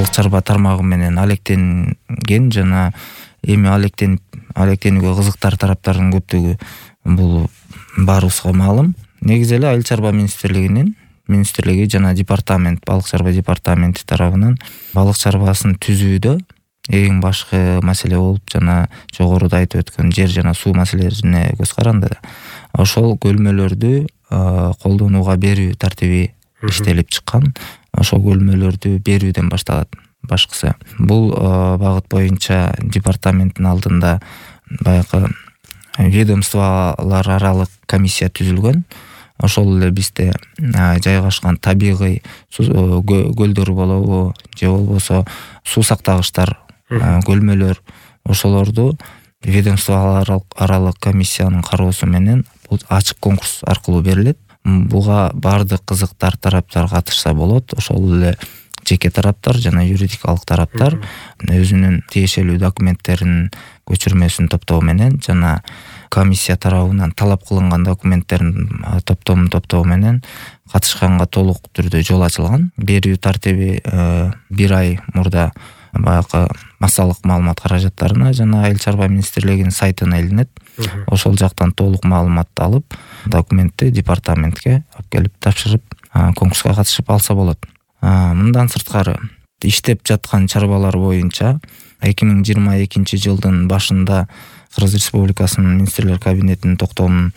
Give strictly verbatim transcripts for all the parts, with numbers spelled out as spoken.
балык чарба тармагы менен алектенген жана эми алектенип алектенүүгө кызыктар тараптардын көптүгү бул баарыбызга маалым. Негизи эле Айыл чарба министрлигинин министрлиги жана департамент, балык чарба департаменти тарабынан балык чарбасын түзүүдө эң башкы маселе болуп жана жогоруда айтып өткөн жер жана суу маселелерине көз каранды. Ошол көлмөлөрдү колдонууга берүү тартиби иштелип чыккан. Ошол көлмөлөрдү берүүдөн башталат башкысы. Бул багыт боюнча департаменттин алдында баягы ведомстволор аралык комиссия түзүлгөн. Ошол эле бизде жайгашкан табигый көлдөр болобу же болбосо суу сактагычтар, көлмөлөр, ошолорду ведомстволор аралык комиссиянын кароосу менен бул ачык конкурс аркылуу берилет. Буга бардык кызыктар тараптар катышса болот. Ошол эле жеке тараптар жана юридикалык тараптар өзүнүн тиешелүү документтеринин көчүрмөсүн топтоо менен жана комиссия тарабынан талап кылынган документтерин топтомун топтоо менен катышканга толук түрдө жол ачылган. Берүү тартиби бир ай мурда баягы массалык маалымат каражаттарына жана Айыл чарба министрлигинин сайтына илинет. Ошол жактан толук маалыматты алып, документти департаментке алып келип тапшырып, конкурска катышып алса болот. Мындан сырткары иштеп жаткан чарбалар боюнча эки миң жыйырма экинчи жылдын башында Кыргыз Республикасынын министрлер кабинетинин токтомун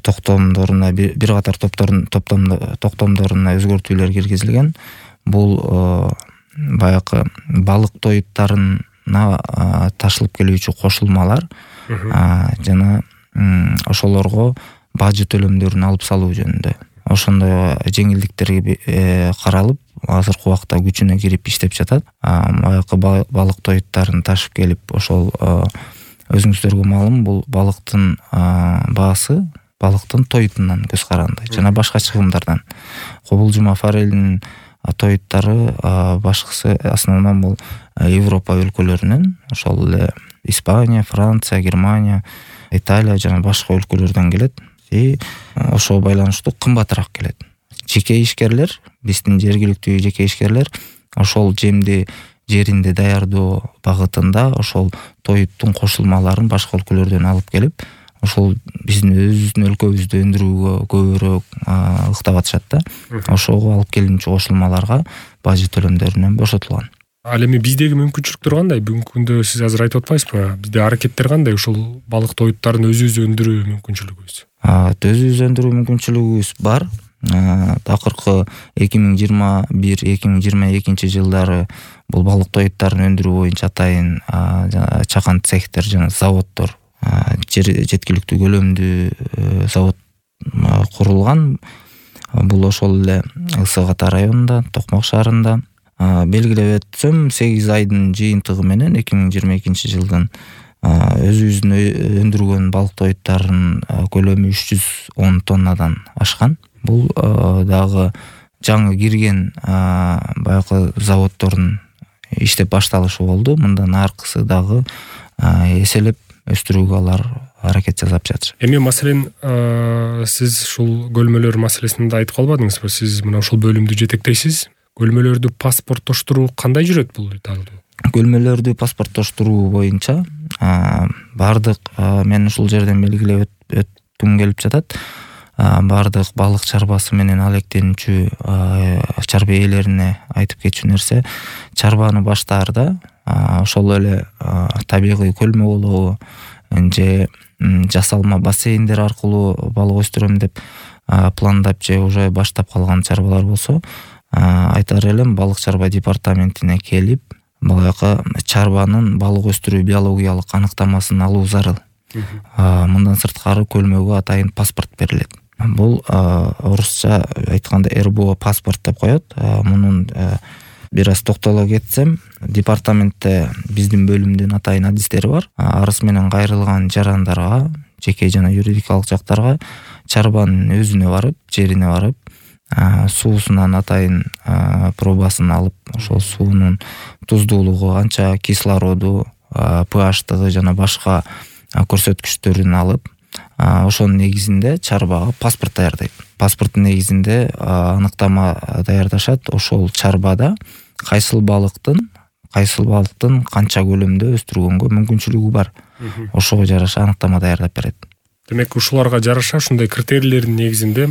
токтомдоруна бир катар токтомдоруна өзгөртүүлөр киргизилген. Бул баягы балык тоюттарына ташылып келүүчү кошулмалар жана ошолорго бажы төлөмдөрүн алып салуу жөнүндө ошондой жеңилдиктерге каралып, азыркы убакта күчүнө кирип иштеп жатат. Баягы балык тоюттарын ташып келип, ошол өзүңүздөргө маалым, бул балыктын баасы балыктын тоютунан көз каранды жана башка чыгымдардан. Кобулжума форелинин тоюттары башкысы основном бул Европа өлкөлөрүнөн, ошол эле Испания, Франция, Германия, Италия жана башка өлкөлөрдөн келет. И ошого байланыштуу кымбатыраак келет. Жеке ишкерлер, биздин жергиликтүү жеке ишкерлер ошол жемди жеринде даярдоо багытында ошол тоюттун кошулмаларын башка өлкөлөрдөн алып келип, ошол биздин өзүбүздүн өлкөбүздө өндүрүүгө көбүрөөк ыктап атышат да. Ошого алып келинчү кошулмаларга бажы төлөмдөрүнөн бошотулган. Ал эми биздеги мүмкүнчүлүктөр кандай? Бүгүнкү күндө сиз азыр айтып атпайсызбы? Бизде аракеттер кандай ушул балык тоюттарын өзүбүз өндүрүү мүмкүнчүлүгүбүз? Өзүбүз өндүрүү мүмкүнчүлүгүбүз бар. Акыркы эки миң жыйырма бир эки миң жыйырма экинчи жылдары бул балык тоюттарын өндүрүү боюнча атайын чакан цехтер жана заводдор, жеткиликтүү көлөмдүү завод курулган. Бул ошол эле Ысык Ата районунда, Токмок шаарында. Белгилеп өтсөм, сегиз айдын жыйынтыгы менен эки миң жыйырма экинчи жылдын өзүбүздүн өндүргөн балык тоюттарынын көлөмү үч жүз он тоннадан ашкан. Бул дагы жаңы кирген баягы заводдордун иштеп башталышы болду. Мындан аркысы дагы эселеп өстүрүүгө алар аракет жасап жатышат. Эми маселен сиз ушул көлмөлөр маселесинде айтып калбадыңызбы? Сиз мына ушул бөлүмдү жетектейсиз. Көлмөлөрдү паспорттоштуруу кандай жүрөт бул италда? Көлмөлөрдү паспорттоштуруу боюнча бардык мен ушул жерден белгилеп өткүм келип жатат. Бардык балык чарбасы менен алектенүүчү чарба ээлерине айтып кетчү нерсе, чарбаны баштаарда ошол эле табигый көлмө болобу же жасалма бассейндер аркылуу балык өстүрөм деп пландап же уже баштап калган чарбалар болсо, айтар элем балык чарба департаментине келип, баягы чарбанын балык өстүрүү биологиялык аныктамасын алуу зарыл. Мындан сырткары көлмөгө атайын паспорт берилет. Бул орусча айтканда эр бэ о паспорт деп коет. Мунун бир аз токтоло кетсем, департаментте биздин бөлүмдүн атайын адистери бар. Арыз менен кайрылган жарандарга, жеке жана юридикалык жактарга чарбанын өзүнө барып, жерине барып, суусунан атайын пробасын алып, ошол суунун туздуулугу канча, кислороду, pH-тыгы жана башка көрсөткүчтөрүн алып, ошонун негизинде чарбага паспорт даярдайт. Паспорттун негизинде аныктама даярдашат. Ошол чарбада кайсыл балыктын кайсыл балыктын канча көлөмдө өстүргөнгө мүмкүнчүлүгү бар. Ошого жараша анықтама даярдап берет. Демек ушуларга жараша ушундай критерийлердин негизинде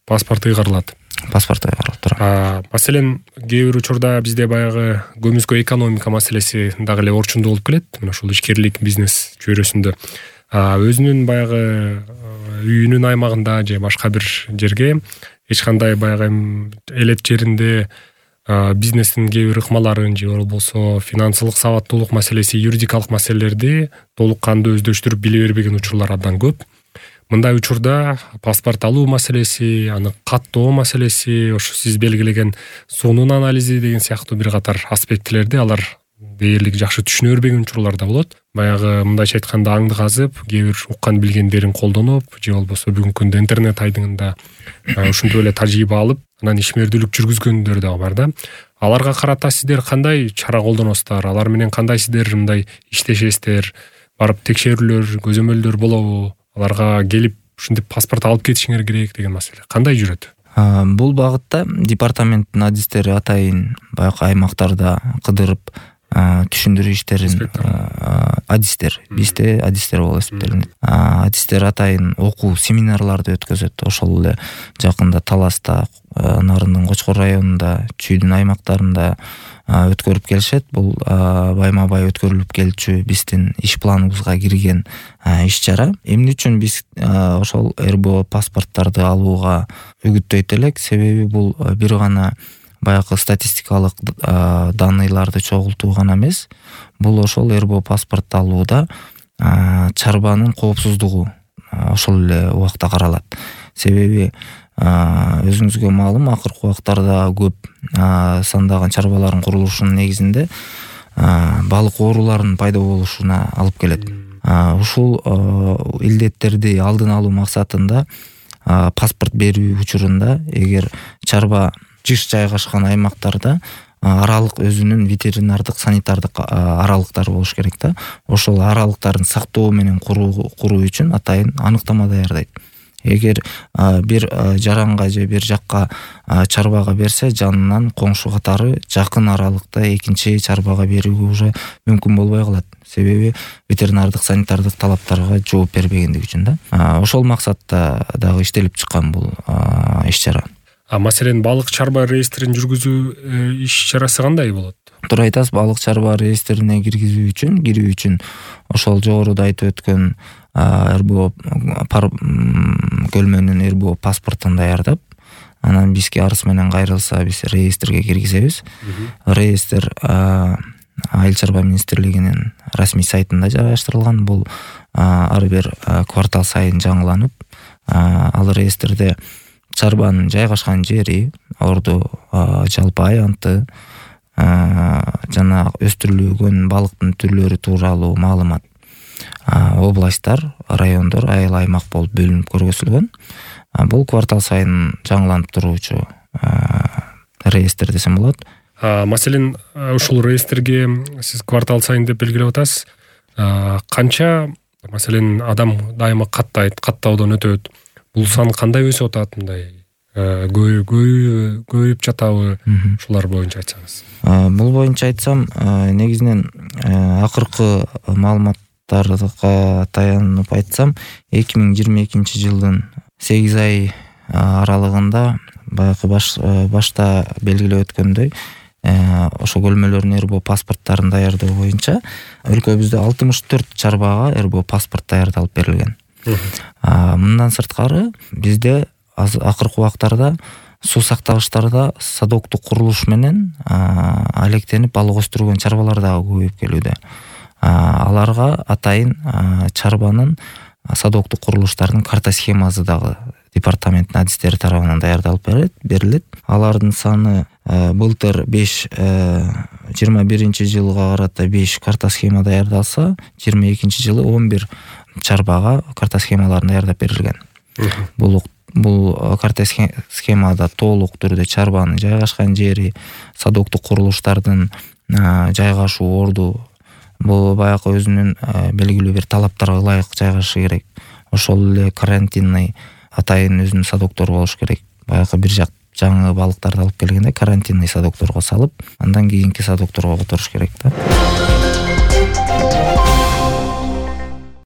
паспорт ыйгарылат. Паспорт ыйгарылып турат. Маселен, кээ бир учурда бизде баягы көмүскө экономика маселеси дагы эле орчундуу болуп келет. Мына ушул ишкерлик бизнес чөйрөсүндө өзүнүн баягы үйүнүн аймагында же башка бир жерге эч кандай баягы элет жеринде бизнестин кээ бир ыкмаларын же болбосо финансылык сабаттуулук маселеси, юридикалык маселелерди толук кандуу өздөштүрүп биле бербеген учурлар абдан көп. Мындай учурда паспорт алуу маселеси, аны каттоо маселеси, ошо сиз белгилеген сонун анализи деген сыяктуу бир катар аспектилерди алар дээрлик жакшы түшүнө бербеген учурлар да болот. Баягы мындайча айтканда аңды казып, кээ бир уккан билгендерин колдонуп, же болбосо бүгүнкү күндө интернет айдыңында ушинтип эле тажрыйба алып, анан ишмердүүлүк жүргүзгөндөр дагы бар да. Аларга карата сиздер кандай чара колдоносуздар? Алар менен кандай сиздер мындай иштешесиздер? Барып текшерүүлөр, көзөмөлдөр болобу? Аларга келип ушинтип паспорт алып кетишиңер керек деген маселе кандай жүрөт? Бул багытта департаменттин адистери атайын баягы аймактарда кыдырып түшүндүрүү иштерин адистер бизде адистер болуп эсептелинет. Адистер атайын окуу семинарларды өткөзөт. Ошол эле жакында Таласта, Нарындын Кочкор районунда, Чүйдүн аймактарында өткөрүп келишет. Бул байма бай өткөрүлүп келчү биздин иш планыбызга кирген иш чара. Эмне үчүн биз ошол эр бэ о паспорттарды алууга үгүттөйт элек? Себеби бул бир гана баягы статистикалык данныйларды чогултуу гана эмес, бул ошол эр бэ о паспорт алууда чарбанын коопсуздугу ошол эле убакта каралат. Себеби өзүңүзгө маалым, акыркы убактарда көп сандаган чарбалардын курулушунун негизинде балык ооруларынын пайда болушуна алып келет. Ушул илдеттерди алдын алуу максатында паспорт берүү учурунда эгер чарба жыш жайгашкан аймактарда аралык өзүнүн ветеринардык санитардык аралыктары болуш керек да. Ошол аралыктарын сактоо менен куруу үчүн атайын аныктама даярдайт. Эгер бир жаранга же бир жакка чарбага берсе, жанынан коңшу катары жакын аралыкта экинчи чарбага берүүгө уже мүмкүн болбой калат. Себеби ветеринардык санитардык талаптарга жооп бербегендиги үчүн да. Ошол максатта дагы иштелип чыккан бул иш чара. А маселен, балык чарба реестрин жүргүзүү иш чарасы кандай болот? Туура айтасыз, балык чарба реестрине киргизүү үчүн, кирүү үчүн ошол жогоруда айтып өткөн эр бэ о көлмөнүн эр бэ о паспортун даярдап, анан бизге арыз менен кайрылса, биз реестрге киргизебиз. Реестр Айыл чарба министрлигинин расмий сайтында жайгаштырылган. Бул ар бир квартал сайын жаңыланып, ал реестрде чарбанын жайгашкан жери, орду, жалпы аянты жана өстүрүлгөн балыктын түрлөрү тууралуу маалымат областтар, райондор, айыл аймак болуп бөлүнүп көргөзүлгөн. Бул квартал сайын жаңыланып туруучу реестр десем болот. Маселен, ушул реестрге сиз квартал сайын деп белгилеп атасыз. Канча, маселен, адам дайыма каттайт, каттоодон өтөт. Бул сан кандай өсүп атат, мындай көбөйүп жатабы? Ушулар боюнча айтсаңыз. Бул боюнча айтсам, негизинен акыркы маалыматтарга таянып айтсам, эки миң жыйырма экинчи жылдын сегиз ай аралыгында баягы башта белгилеп өткөндөй, ошо көлмөлөрдүн эр бэ о паспорттарын даярдоо боюнча өлкөбүздө алтымыш төрт чарбага эр бэ о паспорт даярдалып берилген. Мындан сырткары бизде акыркы убактарда суу сактагычтарда садоктук курулуш менен алектенип балык өстүргөн чарбалар дагы көбөйүп келүүдө. Аларга атайын чарбанын садоктук курулуштардын карта схемасы дагы департаменттин адистери тарабынан даярдалып берилет. Алардын саны былтыр беш, жыйырма биринчи жылга карата беш карта схема даярдалса, жыйырма экинчи жылы он бир чарбага карта схемаларын даярдап берилген. Бул бул карта схемада толук түрдө чарбанын жайгашкан жери, садоктук курулуштардын жайгашуу орду, бул баягы өзүнүн белгилүү бир талаптарга ылайык жайгашышы керек. Ошол эле карантинный атайын өзүнүн садоктору болуш керек. Баягы бир жак жаңы балыктарды алып келгенде карантинный садокторго салып, андан кийинки садокторго которуш керек да.